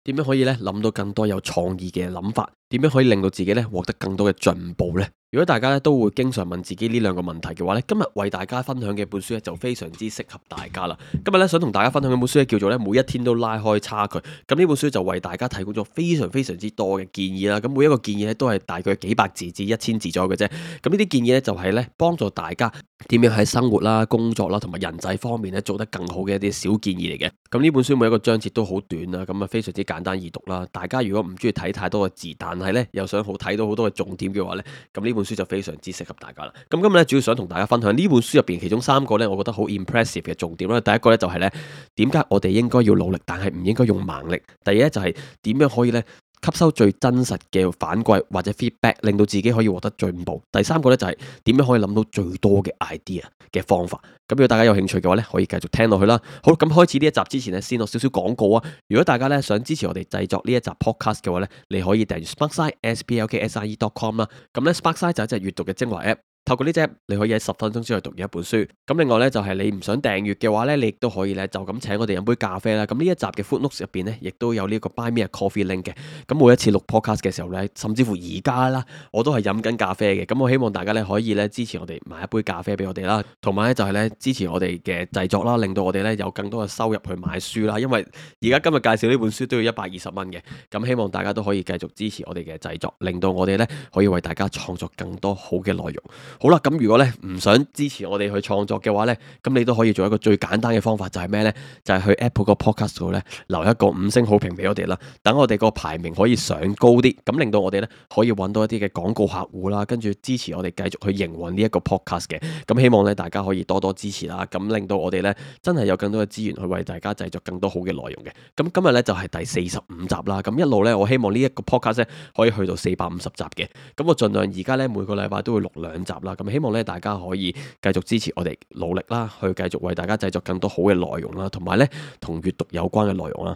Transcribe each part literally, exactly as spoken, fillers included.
點樣可以咧諗到更多有創意嘅諗法？點樣可以令到自己咧獲得更多嘅進步呢？如果大家咧都會經常問自己呢兩個問題嘅話咧，今日為大家分享嘅本書咧就非常之適合大家啦。今日咧想同大家分享嘅本書咧叫做咧每一天都拉開差距。咁呢本書就為大家提供咗非常非常之多嘅建議啦。咁每一個建議咧都係大概幾百字至一千字左右嘅啫。咁呢啲建議咧就係咧幫助大家點樣喺生活啦、工作啦同埋人際方面咧做得更好嘅一啲小建議嚟嘅。咁呢本書每一個章節都好短啦，咁啊非常之簡單易讀啦。大家如果唔中意睇太多嘅字，但係咧又想好睇到好多嘅重點嘅話咧，咁呢本書就非常之適合大家啦。咁今日咧主要想同大家分享呢本書入邊其中三個咧，我覺得好 impressive 嘅重點啦。第一個咧就係咧點解我哋應該要努力，但係唔應該用盲力。第二咧就係點樣可以咧吸收最真實嘅反饋或者 feedback，令到自己可以獲得進步。第三個咧就係點樣可以諗到最多嘅 idea 嘅方法。咁如果大家有興趣嘅話咧，可以繼續聽落去啦。好，咁開始呢一集之前咧，先落少少廣告啊。如果大家咧想支持我哋製作呢一集 podcast 嘅話咧，你可以訂閱 Sparkside s p l k s i e dot com 啦。咁咧 Sparkside 就係一隻閱讀嘅精華 app。透過呢隻 app，你可以喺十分鐘之內讀完一本書。咁另外呢，就係你唔想訂閱嘅話呢，你亦都可以呢，就咁請我哋飲杯咖啡啦。咁呢一集嘅 footnotes 入邊呢，亦都有呢個 buy me a coffee link 嘅。咁每一次錄 podcast 嘅時候呢，甚至乎而家啦，我都係飲緊咖啡嘅。咁我希望大家呢，可以呢支持我哋買一杯咖啡俾我哋啦，同埋呢，就係呢支持我哋嘅製作啦，令到我哋呢有更多嘅收入去買書啦。因為而家今日介紹呢本書都要一百二十蚊嘅。咁希望大家都可以繼續支持我哋嘅製作，令到我哋呢可以為大家創作更多好嘅內容。好啦，咁如果咧唔想支持我哋去創作嘅話呢，咁你都可以做一個最簡單嘅方法，就係咩呢？就係去 Apple 個 Podcast 度呢，留一個五星好評俾我哋啦，等我哋個排名可以上高啲，咁令到我哋呢可以揾到一啲嘅廣告客戶啦，跟住支持我哋繼續去營運呢一個 Podcast 嘅。咁希望呢大家可以多多支持啦，咁令到我哋呢真係有更多嘅資源去為大家製作更多好嘅內容嘅。咁今日呢就係第四十五集啦，咁一路呢，我希望呢一個 Podcast 呢可以去到四百五十集嘅。咁我盡量而家呢，每個禮拜都會錄兩集啦，咁希望呢大家可以繼續支持我哋努力啦，去繼續為大家製作更多好嘅內容啦，同埋呢同閱讀有關嘅內容啦。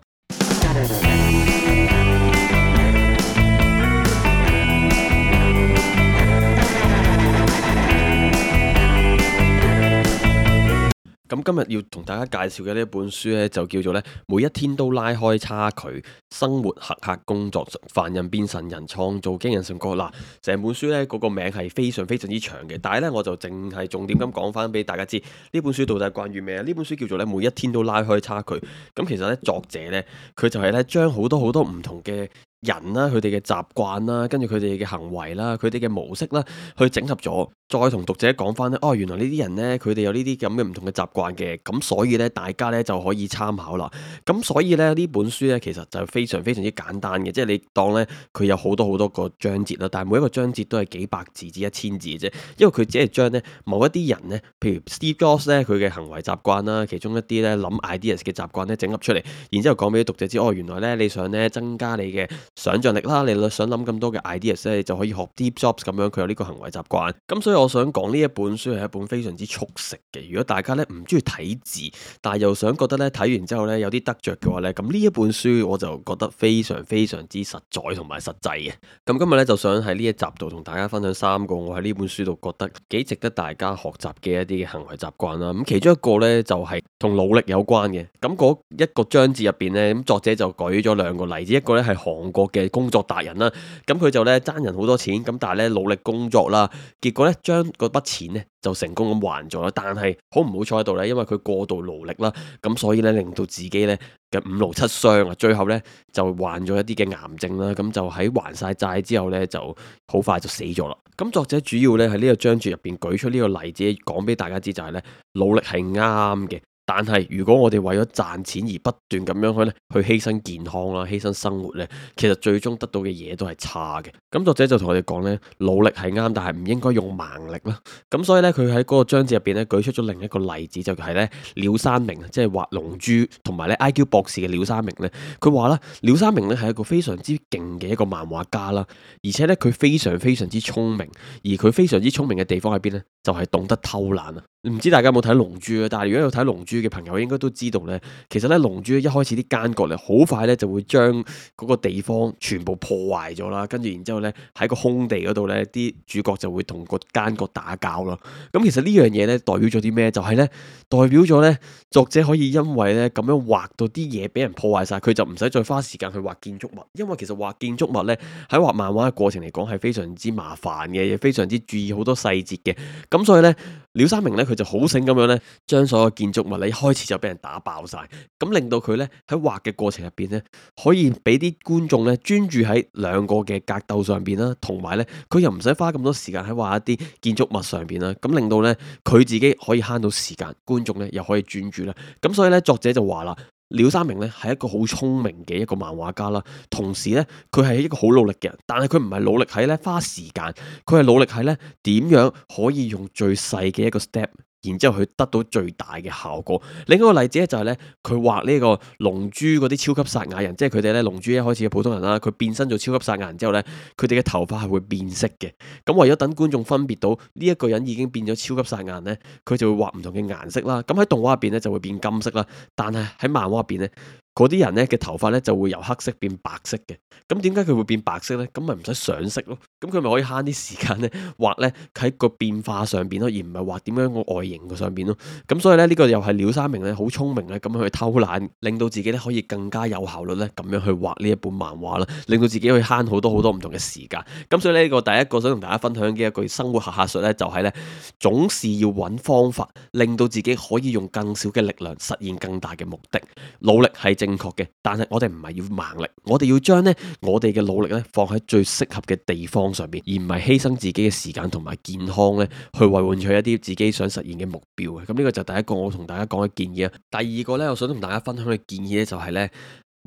咁今日要同大家介紹嘅呢本書呢，就叫做呢每一天都拉開差距，生活黑客工作凡人變神人，創造驚人成果。嗱，成本書呢嗰個名係非常非常之長嘅，但係呢，我就淨係重點咁講翻俾大家知，呢本書到底係關於咩啊？呢本書叫做呢每一天都拉開差距。咁其實呢，作者呢，佢就係呢將好多好多唔同嘅人啦，佢哋嘅習慣啦，跟住佢哋嘅行為啦，佢哋嘅模式啦，去整合咗，再同讀者講翻咧，哦，原來呢啲人呢，佢哋有呢啲咁嘅唔同嘅習慣嘅，咁所以呢，大家呢就可以參考啦。咁所以呢，呢本書呢，其實就非常非常之簡單嘅，即係你當呢，佢有好多好多個章節啦，但係每一個章節都係幾百字至一千字嘅啫，因為佢只係將呢某一啲人呢，譬如 Steve Jobs 呢，佢嘅行為習慣啦，其中一啲呢諗 ideas 嘅習慣呢，整合出嚟，然之後講俾讀者知，哦，原來呢，你想呢增加你嘅想像力啦，你想諗咁多嘅 ideas 咧，你就可以學 Steve Jobs 咁樣，佢有呢個行為習慣。咁所以我想講呢一本書係一本非常之速食嘅。如果大家咧唔中意睇字，但係又想覺得咧睇完之後咧有啲得着嘅話咧，咁呢一本書我就覺得非常非常之實在同埋實際嘅。咁今日咧就想喺呢一集度同大家分享三個我喺呢本書度覺得幾值得大家學習嘅一啲嘅行為習慣啦。咁其中一個咧就係同努力有關嘅。咁嗰一個章節入邊咧，咁作者就舉咗兩個例子，一個咧係韓國嘅工作達人啦，咁佢就咧爭人好多錢，咁但係咧努力工作啦，結果咧將嗰筆錢咧就成功咁還咗啦。但係好唔好彩喺度咧，因為佢過度勞力啦，咁所以咧令到自己咧嘅五勞七傷啊，最後咧就患咗一啲嘅癌症啦。咁就喺還晒債之後咧，就好快就死咗啦。咁作者主要咧喺呢個章節入邊舉出呢個例子，講俾大家知就係咧努力係啱嘅。但係如果我哋為咗賺錢而不斷咁樣去咧，去犧牲健康啦，犧牲生活咧，其實最終得到嘅嘢都係差嘅。咁作者就同我哋講咧，努力係啱，但係唔應該用盲力啦。咁所以咧，佢喺嗰個章節入邊咧，舉出咗另一個例子，就係咧鳥山明，即係畫龍珠同埋咧 I Q 博士嘅鳥山明咧。佢話啦，鳥山明咧係一個非常之勁嘅一個漫畫家啦，而且咧佢非常非常之聰明，而佢非常之聰明嘅地方喺邊咧？就係懂得偷懶啊！唔知大家有冇睇《龍珠》啊？但係如果有睇《龍珠》嘅朋友，應該都知道咧，其實咧《龍珠》一開始啲奸角咧，好快咧就會將嗰個地方全部破壞咗啦，跟住然之後咧喺個空地嗰度咧，啲主角就會同個奸角打交咯。咁其實呢樣嘢咧代表咗啲咩？就係咧代表咗咧作者可以因為咧咁樣畫到啲嘢俾人破壞晒，佢就唔使再花時間去畫建築物，因為其實畫建築物咧喺畫漫畫嘅過程嚟講係非常之麻煩嘅，亦非常之注意好多細節嘅。咁所以咧，廖三明咧佢就好醒咁樣咧，將所有建築物咧一開始就俾人打爆晒，咁令到佢咧喺畫嘅過程入邊咧，可以俾啲觀眾咧專注喺兩個嘅格鬥上邊啦，同埋咧佢又唔使花咁多時間喺畫一啲建築物上邊啦，咁令到咧佢自己可以慳到時間，觀眾咧又可以專注啦。咁所以咧作者就話啦。廖三明咧係一個好聰明嘅一個漫畫家啦，同時咧佢係一個好努力嘅人，但係佢唔係努力喺咧花時間，佢係努力喺咧點樣可以用最細嘅一個 step。然之後佢得到最大嘅效果。另一個例子咧就係咧，佢畫呢個龍珠嗰啲超級撒亞人，即係佢哋咧龍珠一開始嘅普通人啦，佢變身做超級撒亞人之後咧，佢哋嘅頭髮係會變色嘅。咁為咗等觀眾分別到呢一個人已經變咗超級撒亞人咧，佢就會畫唔同嘅顏色啦。咁喺動畫入邊咧就會變金色啦，但係喺漫畫入邊咧。嗰啲人咧嘅頭髮咧就會由黑色變白色嘅，咁點解佢會變白色咧？咁咪唔使上色咯，咁佢咪可以慳啲時間咧畫咧喺個變化上邊咯，而唔係畫點樣個外形個上邊咯。咁所以咧呢個又係廖三明咧好聰明咧咁樣去偷懶，令到自己咧可以更加有效率咧咁樣去畫呢一本漫畫啦，令到自己可以慳好多好多唔同嘅時間。咁所以呢個第一個想同大家分享嘅一句生活下客術咧，就係咧總是要揾方法，令到自己可以用更少嘅力量實現更大嘅目的。努力係正確嘅，但係我哋唔係要盲力，我哋要將呢我哋嘅努力咧放喺最適合嘅地方上邊，而唔係犧牲自己嘅時間同埋健康咧去為換取一啲自己想實現嘅目標嘅。咁呢個就第一個我同大家講嘅建議啊。第二個呢，我想同大家分享嘅建議呢，就係呢：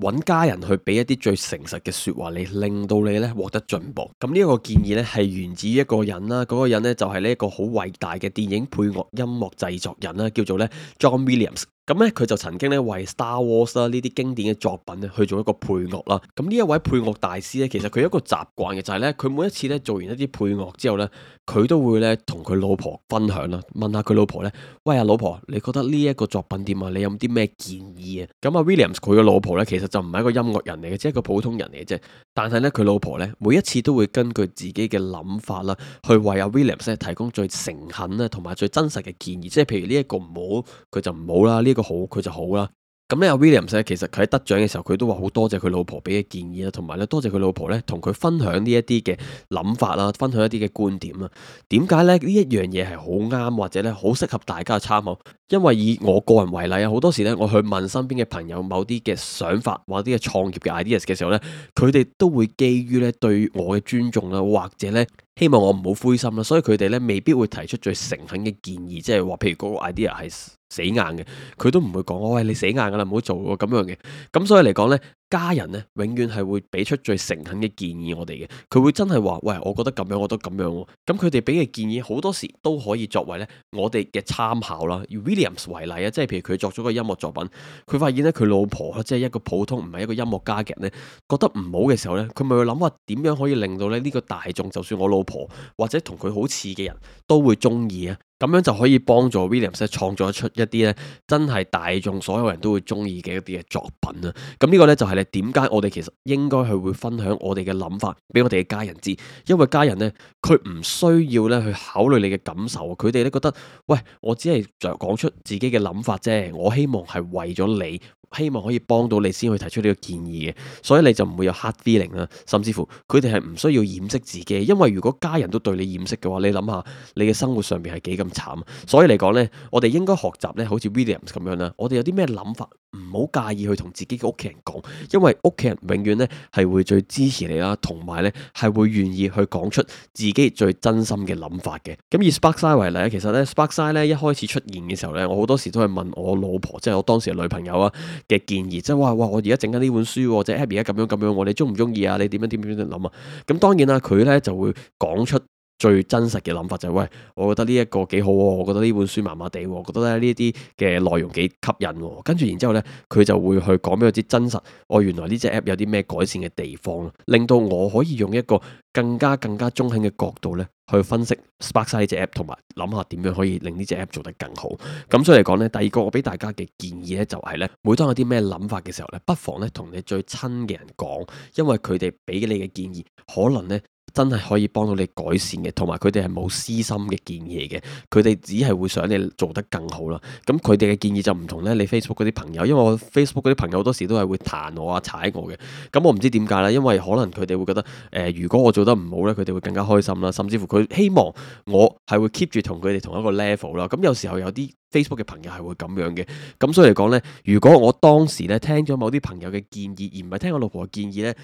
揾家人去俾一啲最誠實嘅說話你，令到你咧獲得進步。咁呢一個建議呢，係源自於一個人啦，嗰、那個人呢，就係呢一個好偉大嘅電影配樂音樂製作人啦，叫做咧 John Williams。咁咧，佢就曾經咧為 Star Wars 啦呢啲經典嘅作品咧去做一個配樂啦。咁呢一位配樂大師咧，其實佢有一個習慣嘅就係咧，佢每一次咧做完一啲配樂之後咧，佢都會咧同佢老婆分享啦，問下佢老婆咧，喂啊老婆，你覺得呢一個作品點啊？你有冇啲咩建議啊？咁啊 Williams 佢嘅老婆咧，其實就唔係一個音樂人嚟嘅，即係一個普通人嚟嘅啫。但係咧，佢老婆咧每一次都會根據自己嘅諗法啦，去為阿 Williams 咧提供最誠懇咧同埋最真實嘅建議。即係譬如呢一個唔好，佢就唔好啦。呢個好佢就好啦。咁咧，阿 Williams 咧，其實佢喺得獎嘅時候，佢都話好多謝佢老婆俾嘅建議啦，同埋咧多謝佢老婆咧同佢分享呢一啲嘅諗法啦，分享一啲嘅觀點啦。點解咧呢一樣嘢係好啱或者咧好適合大家嘅參考？因為以我個人為例啊，好多時咧我去問身邊嘅朋友某啲嘅想法或者啲嘅創業嘅 ideas 嘅時候咧，佢哋都會基於咧對我嘅尊重啦，或者咧希望我唔好灰心啦，所以佢哋咧未必會提出最誠懇嘅建議，即係話譬如嗰個 idea 係死硬嘅，佢都唔會講，喂，你死硬噶啦，唔好做喎咁樣嘅。咁所以嚟講呢，家人呢永遠係會俾出最誠懇嘅建議我哋嘅。佢會真係話，喂，我覺得咁樣，我覺得咁樣喎。咁佢哋俾嘅建議好多時都可以作為呢我哋嘅參考啦。以 Williams 為例啊，即係譬如佢作咗個音樂作品，佢發現呢，佢老婆即係一個普通唔係一個音樂家嘅人呢，覺得唔好嘅時候呢，佢咪會諗話點樣可以令到咧呢個大眾，就算我老婆或者同佢好似嘅人都會中意啊。咁樣就可以幫助 Williams 咧創作出一啲咧真係大眾所有人都會中意嘅一啲嘅作品啊！咁呢個呢，就係咧點解我哋其實應該去會分享我哋嘅諗法俾我哋嘅家人知，因為家人呢，佢唔需要咧去考慮你嘅感受，佢哋咧覺得，喂，我只係就講出自己嘅諗法啫，我希望係為咗你。希望可以幫到你先去提出呢個建議嘅，所以你就唔會有 hard feeling 啦，甚至乎佢哋係唔需要掩飾自己，因為如果家人都對你掩飾嘅話，你諗下你嘅生活上面係幾咁慘。所以嚟講呢，我哋應該學習呢，好似 Williams 咁樣啦，我哋有啲咩諗法，唔好介意去同自己嘅屋企人講，因為屋企人永遠呢係會最支持你啦，同埋呢係會願意去講出自己最真心嘅諗法嘅。咁以 Sparkside 為例，其實呢 Sparkside 呢一開始出現嘅時候呢，我好多時都係問我老婆，即係我當時嘅女朋友啊嘅建議，即係話哇，我而家整緊呢本書，或者 Abby 而家咁樣咁樣，你中唔中意啊？你點樣點樣點樣諗啊？咁當然啦，佢咧就會講出最真實嘅諗法就係、是、喂，我覺得呢一個幾好喎，我覺得呢本書麻麻地喎，我覺得咧呢啲嘅內容幾吸引喎。跟住然之後呢，佢就會去講俾我知真實，我原來呢隻 app 有啲咩改善嘅地方，令到我可以用一個更加更加中肯嘅角度呢去分析 Sparkside 呢隻 app，同埋諗下點樣可以令呢隻 app 做得更好。咁所以嚟講呢，第二個我俾大家嘅建議呢，就係呢：每當有啲咩諗法嘅時候呢，不妨呢同你最親嘅人講，因為佢哋俾你嘅建議可能呢真係可以幫到你改善嘅，同埋佢哋係冇私心嘅建議嘅，佢哋只係會想你做得更好啦。咁佢哋嘅建議就唔同咧，你 Facebook 嗰啲朋友，因為我 Facebook 嗰啲朋友好多時都係會彈我啊、踩我嘅。咁我唔知點解啦，因為可能佢哋會覺得，誒、呃，如果我做得唔好咧，佢哋會更加開心啦，甚至乎佢希望我係會 keep 住同佢哋同一個 level 啦。咁有時候有啲 Facebook 嘅朋友係會咁樣嘅。咁所以嚟講咧，如果我當時咧聽咗某啲朋友嘅建議，而唔係聽我老婆嘅建議咧，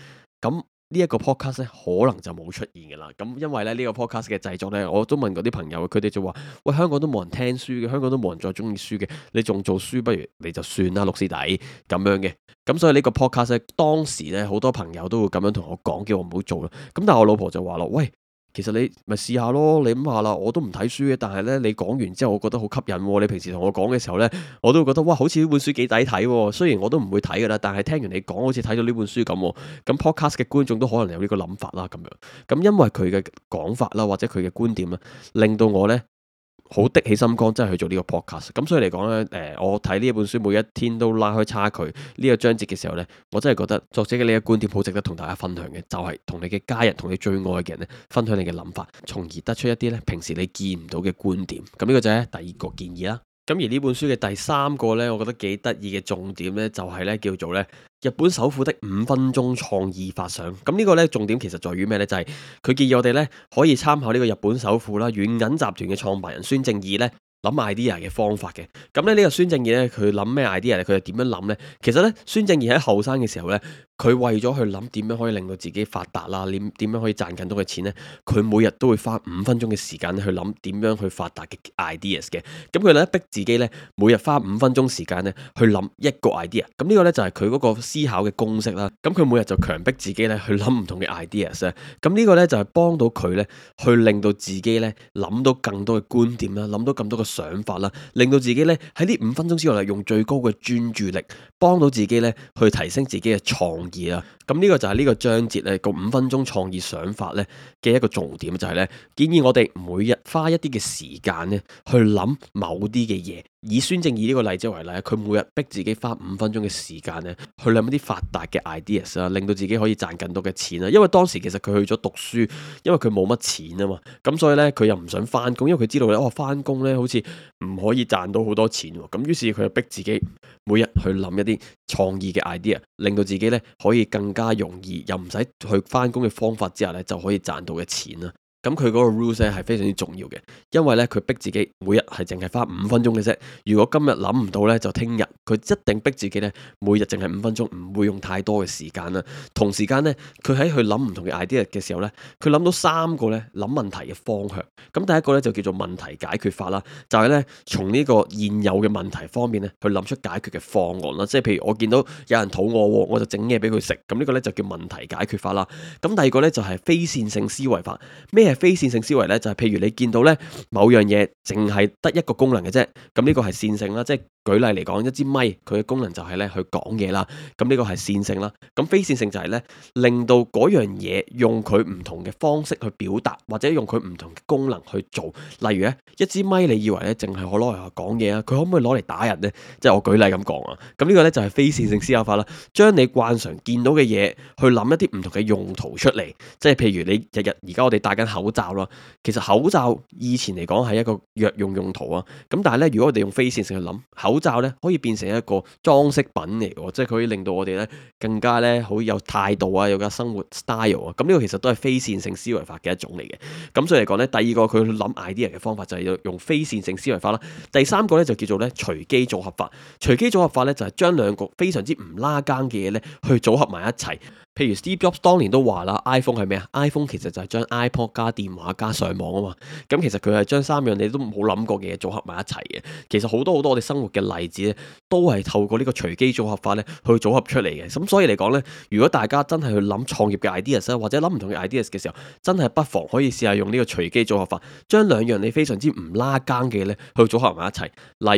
咁呢一個 podcast 咧，可能就冇出現嘅啦。咁因為咧呢個 podcast 嘅製作咧，我都問過啲朋友，佢哋就話：喂，香港都冇人聽書嘅，香港都冇人再中意書嘅，你仲做書，不如你就算啦，六師弟咁樣嘅。咁所以呢個 podcast 咧，當時咧好多朋友都會咁樣同我講，叫我唔好做啦。咁但係我老婆就話咯：喂，其實你咪試下咯，你諗下啦，我都唔睇書嘅，但係咧你講完之後，我覺得好吸引喎。你平時同我講嘅時候咧，我都會覺得哇，好似呢本書幾抵睇喎。雖然我都唔會睇噶啦，但係聽完你講，好似睇到呢本書咁。咁 podcast 嘅觀眾都可能有呢個諗法啦，咁樣。咁因為佢嘅講法啦，或者佢嘅觀點啦，令到我咧好的起心肝，真係去做呢個 podcast。咁所以嚟講咧，誒、呃，我睇呢一本書，每一天都拉開差距呢個章節嘅時候咧，我真係覺得作者嘅呢個觀點好值得同大家分享嘅，就係、是、同你嘅家人、同你最愛嘅人咧，分享你嘅諗法，從而得出一啲咧平時你見唔到嘅觀點。咁呢個就係第二個建議啦。咁而呢本書嘅第三個呢，我覺得幾得意嘅重點呢，就係呢叫做呢日本首富的五分鐘創意發想。咁呢個呢重點其實在於咩呢？就係佢建議我哋呢可以參考呢個日本首富啦，軟銀集團嘅創辦人孫正義呢諗 idea 嘅方法嘅。咁咧呢個孫正義呢，佢諗咩 idea 咧？佢係點樣諗呢？其實呢，孫正義喺後生嘅時候呢，佢為咗去諗點樣可以令到自己發達啦，點點樣可以賺更多嘅錢呢？佢每日都會花五分鐘嘅時間去諗點樣去發達嘅 ideas 嘅。咁佢咧逼自己咧，每日花五分鐘時間咧去諗一個 idea。咁呢個咧就係佢嗰個思考嘅公式啦。咁佢每日就強迫自己咧去諗唔同嘅 ideas 咧。咁呢個咧就係幫到佢咧去令到自己咧諗到更多嘅觀點啦，諗到咁多嘅想法啦，令到自己咧喺呢五分鐘之內用最高嘅專注力，幫到自己咧去提升自己嘅創意啦。咁呢個就係呢個章節咧個五分鐘創意想法咧嘅一個重點，就係咧建議我哋每日花一啲嘅時間咧去諗某啲嘅嘢。以孫正義呢個例子為例，佢每日逼自己花五分鐘嘅時間咧去諗一啲發達嘅 ideas 啦，令到自己可以賺更多嘅錢啦。因為當時其實佢去咗讀書，因為佢冇乜錢啊嘛，咁所以咧佢又唔想翻工，因為佢知道咧哦翻工咧好似唔可以賺到好多錢，咁於是佢就逼自己每日去諗一啲創意嘅 idea，令到自己咧可以更加容易又唔使去翻工嘅方法之下咧就可以賺到嘅錢啦。咁佢嗰個 rules 咧係非常之重要嘅，因為咧佢逼自己每日係淨係花五分鐘嘅啫。如果今日諗唔到咧，就聽日。佢一定逼自己咧，每日淨係五分鐘，唔會用太多嘅時間啦。同時間咧，佢喺去諗唔同嘅 idea 嘅時候咧，佢諗到三個咧諗問題嘅方向。咁第一個咧就叫做問題解決法啦，就係咧從呢個現有嘅問題方面咧去諗出解決嘅方案啦。即係譬如我見到有人肚餓，我就整嘢俾佢食。咁呢個咧就叫問題解決法啦。咁第二個咧就係非線性思維法。咩係非線性思維咧？就係譬如你見到咧某樣嘢淨係得一個功能嘅啫，咁呢個係線性啦。即係舉例嚟講，一支咪佢嘅功能就係咧去講嘢啦，咁呢個係線性啦。咁非線性就係咧令到嗰樣嘢用佢唔同嘅方式去表達，或者用佢唔同嘅功能去做。例如咧一支咪，你以為咧淨係可攞嚟講嘢啊？佢可唔可以攞嚟打人呢？即係我舉例咁講啊。咁呢個咧就係非線性思考法啦，將你慣常見到嘅嘢去諗一啲唔同嘅用途出嚟。即係譬如你日日而家我哋戴緊口罩啦，其實口罩以前嚟講係一個藥用用途啊。咁但係咧，如果我哋用非線性去諗，口罩咧可以變成一個裝飾品嚟嘅，即係佢可以令到我哋咧更加咧好有態度啊，有個生活 style 啊。咁呢個其實都係非線性思維法嘅一種嚟嘅。咁所以嚟講咧，第二個佢去諗 idea 嘅方法就係用非線性思維法啦。第三個咧就叫做咧隨機組合法。隨機組合法咧就係將兩個非常之唔拉更嘅嘢咧去組合埋一齊。譬如 Steve Jobs 當年都話啦 ，iPhone 係咩啊 ？iPhone 其實就係將 iPod 加電話加上網啊嘛。咁其實佢係將三樣你都冇諗過嘅嘢組合埋一齊嘅。其實好多好多我哋生活嘅例子咧，都係透過呢個隨機組合法咧去組合出嚟嘅。咁所以嚟講咧，如果大家真係去諗創業嘅 ideas 或者諗唔同嘅 ideas 嘅時候，真係不妨可以試下用呢個隨機組合法，將兩樣你非常之唔拉更嘅咧去組合埋一齊。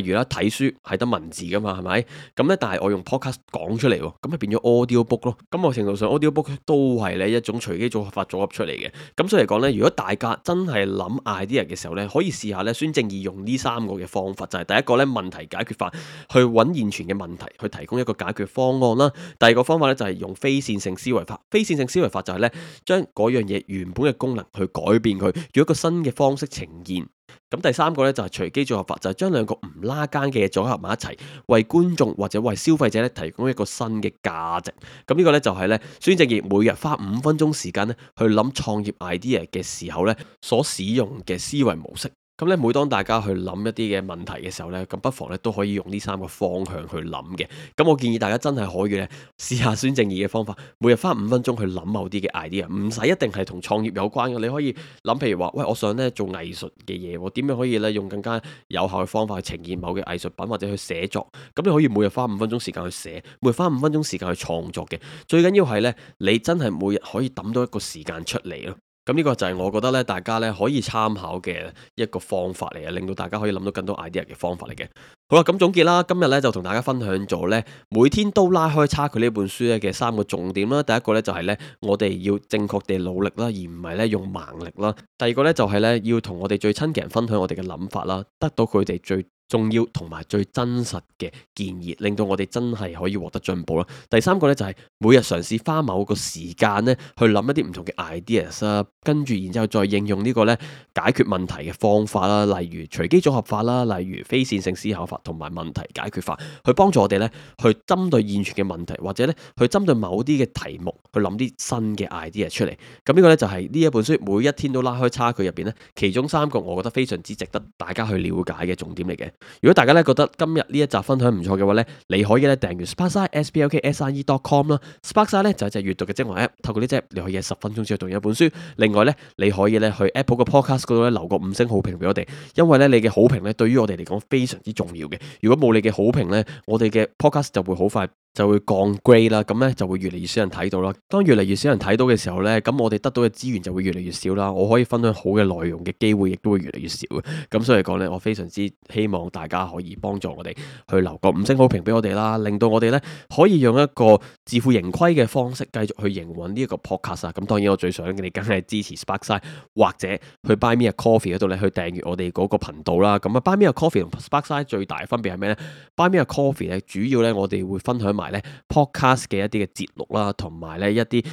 例如啦，睇書係得文字噶嘛，係咪？咁咧，但係我用 podcast 講出嚟，咁咪變咗 audio book 咯。咁某程度上 audio book 都係咧一種隨機組合法組合出嚟嘅。咁所以嚟講咧，如果大家真係諗 idea 嘅時候咧，可以試下咧孫正義用呢三個嘅方法，就係第一個咧問題解決法，去揾現存嘅問題去提供一個解決方案啦。第二個方法咧就係用非線性思維法，非線性思維法就係咧將嗰樣嘢原本嘅功能去改變佢，用一個新嘅方式呈現。咁第三個咧就係隨機組合法，就係將兩個唔拉更嘅嘢組合埋一齊，為觀眾或者為消費者咧提供一個新嘅價值。咁呢個咧就係咧孫正義每日花五分鐘時間咧去諗創業 idea 嘅時候咧所使用嘅思維模式。咁咧，每當大家去諗一啲嘅問題嘅時候咧，咁不妨咧都可以用呢三個方向去諗嘅。咁我建議大家真係可以咧試下孫正義嘅方法，每日花五分鐘去諗某啲嘅 idea，唔使一定係同創業有關嘅。你可以諗，譬如話，喂，我想咧做藝術嘅嘢，我點樣可以咧用更加有效嘅方法去呈現某嘅藝術品或者去寫作？咁你可以每日花五分鐘時間去寫，每日花五分鐘時間去創作嘅。最緊要係咧，你真係每日可以揼到一個時間出嚟咯。咁呢個就係我覺得咧，大家咧可以參考嘅一個方法嚟嘅，令到大家可以諗到更多 idea 嘅方法嚟嘅。好啦，咁總結啦，今日咧就同大家分享咗咧，每天都拉開差距呢本書咧嘅三個重點啦。第一個咧就係咧，我哋要正確地努力啦，而唔係咧用盲力啦。第二個咧就係咧，要同我哋最親嘅人分享我哋嘅諗法啦，得到佢哋最重要同埋最真實嘅建議，令到我哋真係可以獲得進步啦。第三個咧就係每日嘗試花某個時間咧去諗一啲唔同嘅 ideas 啦，跟住然之後再應用呢個咧解決問題嘅方法啦，例如隨機組合法啦，例如非線性思考法同埋問題解決法，去幫助我哋咧去針對現存嘅問題，或者咧去針對某啲嘅題目去諗啲新嘅 idea 出嚟。咁呢個咧就係呢一本書每一天都拉開差距入邊咧，其中三個我覺得非常之值得大家去了解嘅重點嚟嘅。如果大家咧覺得今日呢一集分享唔錯嘅話咧，你可以咧訂閱 Sparkside S P L K S I E dot com 啦。Sparkside 咧就係隻閱讀嘅精華 app， 透過呢隻你可以喺十分鐘之內讀完一本書。另外咧，你可以咧去 Apple 嘅 Podcast 嗰度咧留個五星好評俾我哋，因為咧你嘅好評咧對於我哋嚟講非常之重要嘅。如果冇你嘅好評咧，我哋嘅 Podcast 就會好快就會降 grade 啦，咁咧就會越嚟越少人睇到啦。當越嚟越少人睇到嘅時候咧，咁我哋得到嘅資源就會越嚟越少啦。我可以分享好嘅內容嘅機會亦都會越嚟越少嘅。咁所以講咧，我非常之希望大家可以幫助我哋去留個五星好評俾我哋啦，令到我哋咧可以用一個自負盈虧嘅方式繼續去營運呢一個 podcast 啊。咁當然我最想嘅你梗係支持 Sparkside 或者去 Buy Me a Coffee 嗰度咧去訂閱我哋嗰個頻道啦。咁啊 Buy Me a Coffee 同 Sparkside 最大分別係咩咧？Buy Me a Coffee 咧主要咧我哋會分享埋咧 podcast 嘅一啲嘅節錄啦，同埋咧一啲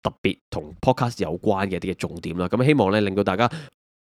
特別同 podcast 有關嘅一啲嘅重點啦。咁希望咧令到大家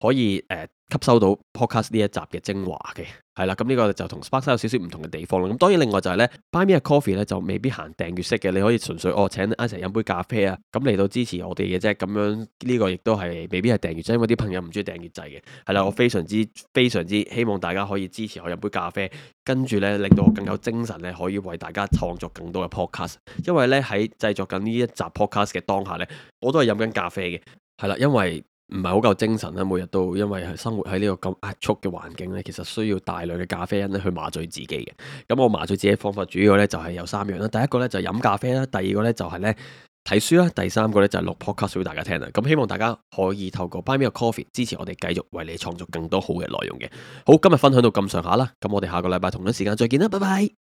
可以誒、呃、吸收到 podcast 呢一集嘅精華嘅，係啦。咁呢個就同 Sparkside 有少少唔同嘅地方啦。咁當然另外就係咧 Buy Me a Coffee 咧就未必行訂閱式嘅，你可以純粹哦請一齊飲杯咖啡啊，咁嚟到支持我哋嘅啫。咁樣呢、這個亦都係未必係訂閱制，因為啲朋友唔中意訂閱制嘅。係啦，我非常之非常之希望大家可以支持我飲杯咖啡，跟住咧令到我更有精神咧，可以為大家創作更多嘅 podcast。因為咧喺製作緊呢一集 podcast 嘅當下咧，我都係飲緊咖啡嘅。係啦，因為唔係好夠精神啦，每日都因為係生活喺呢個咁壓縮嘅環境咧，其實需要大量嘅咖啡因咧去麻醉自己嘅。咁我麻醉自己嘅方法主要咧就係有三樣啦。第一個咧就係飲咖啡啦，第二個咧就係咧睇書啦，第三個咧就係錄 podcast 俾大家聽啦。咁希望大家可以透過 Buy Me a Coffee 支持我哋繼續為你創作更多好嘅內容嘅。好，今日分享到咁上下啦，咁我哋下個禮拜同一時間再見啦，拜拜。